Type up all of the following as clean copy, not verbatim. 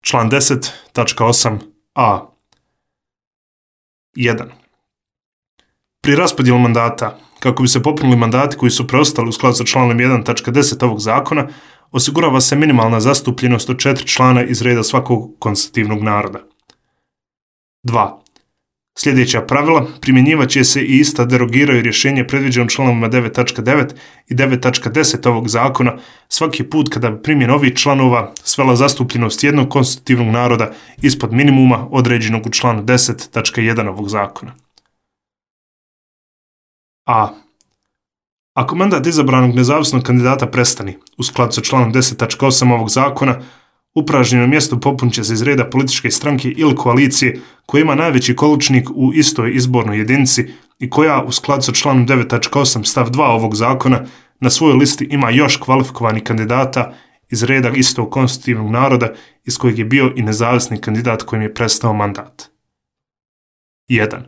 Član 10.8a. 1. Pri raspodjelu mandata, kako bi se popunili mandati koji su preostali u skladu sa članom 1.10 ovog zakona, osigurava se minimalna zastupljenost od 4 člana iz reda svakog konstitutivnog naroda. 2. Sljedeća pravila primjenjivat će se i ista derogiraju rješenje predviđeno članovima 9.9 i 9.10 ovog zakona svaki put kada bi primjena ovih članova svela zastupljenost jednog konstitutivnog naroda ispod minimuma određenog u članu 10.1 ovog zakona. A. Ako mandat izabranog nezavisnog kandidata prestani, u skladu sa članom 10.8 ovog zakona, upražnjeno mjesto popunit će se iz reda političke stranke ili koalicije koja ima najveći količnik u istoj izbornoj jedinici i koja, u skladu sa članom 9.8 stav 2 ovog zakona, na svojoj listi ima još kvalifikovanih kandidata iz reda istog konstitutivnog naroda iz kojeg je bio i nezavisni kandidat kojim je prestao mandat. 1.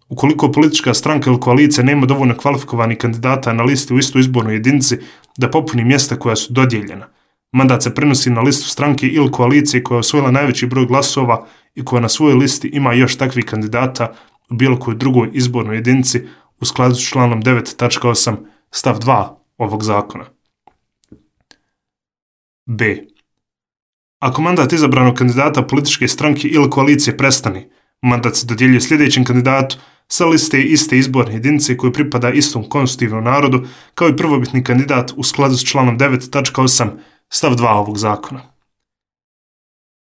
Ukoliko politička stranka ili koalicija nema dovoljno kvalifikovanih kandidata na listi u istoj izbornoj jedinici da popuni mjesta koja su dodijeljena, mandat se prenosi na listu stranke ili koalicije koja je osvojila najveći broj glasova i koja na svojoj listi ima još takvih kandidata u bilo kojoj drugoj izbornoj jedinici u skladu s članom 9.8 stav 2 ovog zakona. B. Ako mandat izabranog kandidata političke stranke ili koalicije prestane, mandat se dodjeljuje sljedećem kandidatu sa liste iste izborne jedinice koji pripada istom konstitutivnom narodu kao i prvobitni kandidat u skladu s članom 9.8 stav 2 ovog zakona.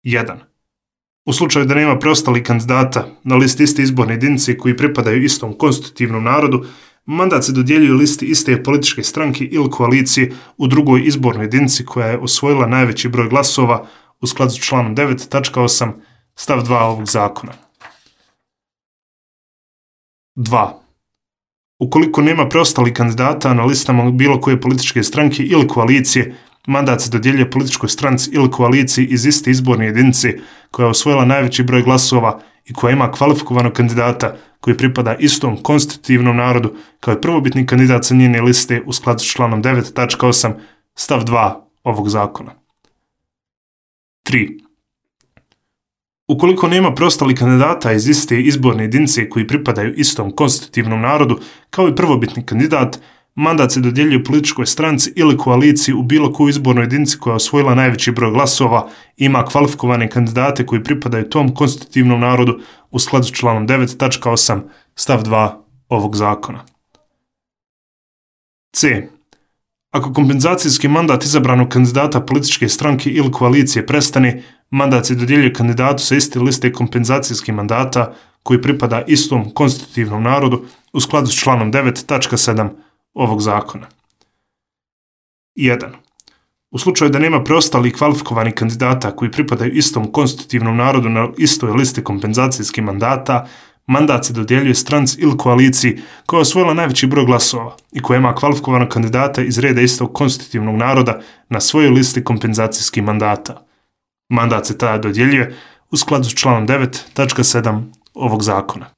1. U slučaju da nema preostalih kandidata na listi iste izborne jedinice koji pripadaju istom konstitutivnom narodu, mandat se dodjeljuje listi iste političke stranke ili koalicije u drugoj izbornoj jedinici koja je osvojila najveći broj glasova u skladu s članom 9.8 stav 2 ovog zakona. 2. Ukoliko nema preostalih kandidata na listama bilo koje političke stranke ili koalicije, mandat se dodjeljuje političkoj stranci ili koaliciji iz iste izborne jedinice koja je osvojila najveći broj glasova i koja ima kvalifikovanog kandidata koji pripada istom konstitutivnom narodu kao i prvobitni kandidat sa njene liste u skladu s članom 9.8 stav 2 ovog zakona. 3. Ukoliko nema preostalih kandidata iz iste izborne jedinice koji pripadaju istom konstitutivnom narodu kao i prvobitni kandidat, mandat se dodjeljuje političkoj stranci ili koaliciji u bilo kojoj izbornoj jedinici koja je osvojila najveći broj glasova i ima kvalifikovane kandidate koji pripadaju tom konstitutivnom narodu u skladu s članom 9.8 stav 2 ovog zakona. C. Ako kompenzacijski mandat izabranog kandidata političke stranke ili koalicije prestane, mandat se dodjeljuje kandidatu sa iste liste kompenzacijskih mandata koji pripada istom konstitutivnom narodu u skladu s članom 9.7 ovog zakona. 1. U slučaju da nema preostalih kvalifikovanih kandidata koji pripadaju istom konstitutivnom narodu na istoj listi kompenzacijskih mandata, mandat se dodjeljuje stranci ili koaliciji koja je osvojila najveći broj glasova i koja ima kvalifikovanog kandidata iz reda istog konstitutivnog naroda na svojoj listi kompenzacijskih mandata. Mandat se tada dodjeljuje u skladu s članom 9.7 ovog zakona.